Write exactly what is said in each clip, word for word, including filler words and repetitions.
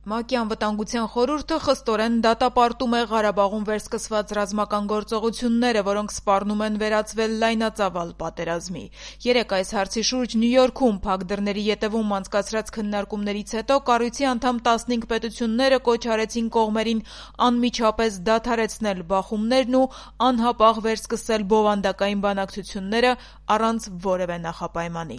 ՄԱԿ-ի անվտանգության խորհուրդը խստորեն դատապարտում է Ղարաբաղում վերսկսված ռազմական գործողությունները, որոնք սպառնում են վերածվել լայնածավալ պատերազմի։ Երեկ այս հարցի շուրջ Նյու Յորքում փակ դռների ետևում անցկացրած քննարկումներից հետո կառույցի անդամ տասնհինգ պետությունները կոչ արեցին կողմերին անմիջապես դադարեցնել բախումներն ու անհապաղ վերսկսել բովանդակային բանակցությունները առանց որևէ նախապայմանի։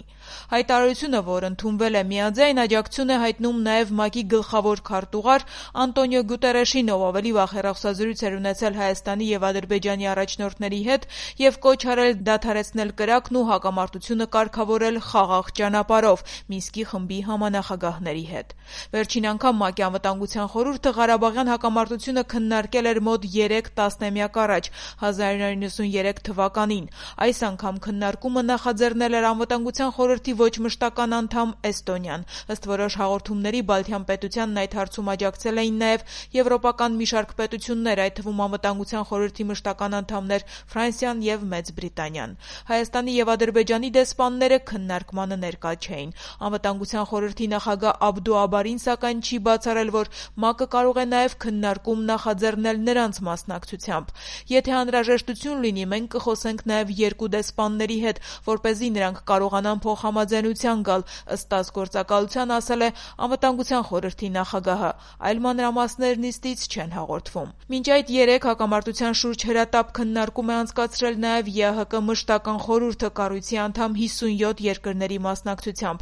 Հայտարարությունը, որ ընդունվել է միաձայն, աջակցություն է հայտնում նաև ՄԱԿ-ի գլխավոր քարտուղար Անտոնիո Գուտերեշին, ով ավելի վաղ հեռախոսազրույց էր ունեցել Հայաստանի և Ադրբեջանի առաջնորդների հետ և կոչ արել դադարեցնել կրակն ու հակամարտությունը կարգավորել խաղաղ ճանապարհով Մինսկի խմբի համանախագահների հետ։ Վերջին անգամ ՄԱԿ-ի անվտանգության խորհուրդը Ղարաբաղյան հակամարտությունը քննարկել էր մոտ երեք տասնամյակ առաջ՝ հազար ինը հարյուր նվաթ երեք թվականին։ Այս անգամ քննարկումը նախաձեռնել էր Անվտանգության խորհրդի ոչ մշտական անդամ Էստոնիան։ Ըստ որոշ հաղորդումների Բալթյան պետությանն այդ հարցում աջակցել էին նաև եվրոպական մի շարք պետություններ, այդ թվում Անվտանգության խորհրդի մշտական անդամներ Ֆրանսիան և Մեծ Բրիտանիան։ Հայաստանի և Ադրբեջանի դեսպանները քննարկմանը ներկա չէին։ Անվտանգության խորհրդի նախագահ Աբդու Աբարին, սակայն, չի բացառել, որ ՄԱԿ-ը կարող է նաև քննարկում նախաձեռնել նրանց մասնակցությամբ։ Եթե անհրաժեշտություն լինի, մենք կխոսենք նաև երկու դեսպանների հետ, որպեսզի նրանք կարողանան փոխհամաձայնության գալ, ըստ գործակալության ասել է Անվտանգության խորհրդի նախագահը, այլ մանրամասներ նիստից չեն հաղորդվում։ Մինչ այդ երեկ հակամարտության շուրջ հրատապ քննարկում է անցկացրել նաև ԵԱՀԿ մշտական խորհուրդը կառույցի անդամ հիսունյոթ երկրների մասնակցությամբ։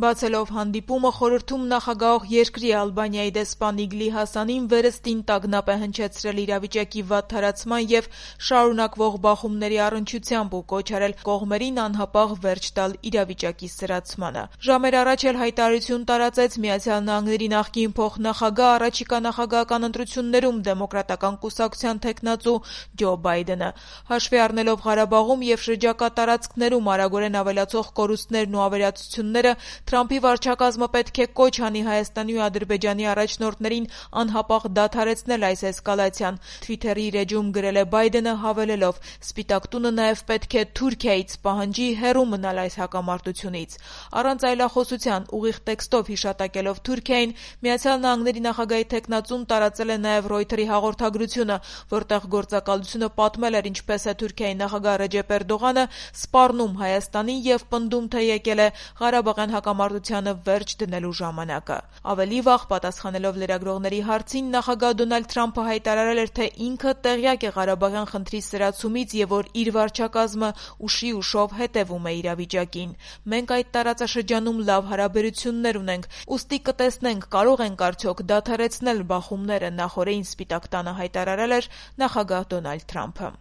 Բացելով հանդիպումը, խորհրդում նախագահող երկրի Ալբանիայի դեսպան Իգլի Հասանին վերստին տագնապ է հնչեցրել իրավիճակի վատ թարացման և շարունակվող բախումների առնչությամբ ու կոչ արել կողմերին անհապաղ վերջ տալ իրավիճակի սրացմանը։ Ժամեր առաջ էլ հայտարարություն տարածեց Միացյալ Նահանգների նախկին փոխնախագահ, առաջիկա նախագահական ընտրություններում դեմոկրատական կուսակցության թեկնածու Ջո Բայդենը։ Հաշվի առնելով Ղարաբաղում և շրջակա տարածքներում արագորեն ավելացող կորուստներն ու ավերածությունները, Թրամփի վարչակազմը պետք է կոչ անի Հայաստանի ու Ադրբեջանի առաջնորդներին անհապաղ դադարեցնել այս էսկալացիան։ Թվիթերի իր էջում գրել է Բայդենը, հավելելով. «Սպիտակ տունը նաև պետք է Թուրքիայից պահանջի հեռու մնալ այս հակամարտությունից»։ Առանց այլախոսության, ուղիղ տեքստով հիշատակելով Թուրքիային, Միացյալ Նահանգների նախագահի թեկնածուն տարածել է նաև Ռոյթերի հաղորդագրությունը, որտեղ գործակալությունը պատմել էր, ինչպես է Թուրքիայի նախագահ Ռեջեփ Էրդողանը սպառնում Հայաստանին և պնդում, թե եկել է Ղարաբաղյան հակամարտությանը վերջ դնելու ժամանակը։ Ավելի վաղ, պատասխանելով լրագրողների հարցին, նախագահ Դոնալդ Թրամփը հայտարարել էր, թե ինքը տեղյակ է Ղարաբաղյան խնդրի սրացումից և որ իր վարչակազմը ուշի ուշով հետևում է իրավիճակին։ «Մենք այդ տարածաշրջանում լավ հարաբերություններ ունենք, ուստի կտեսնենք՝ կարող ենք արդյոք դադարեցնել բախումները», նախօրեին Սպիտակ տանը հայտարարել էր նախագահ Դոնալդ Թրամփը։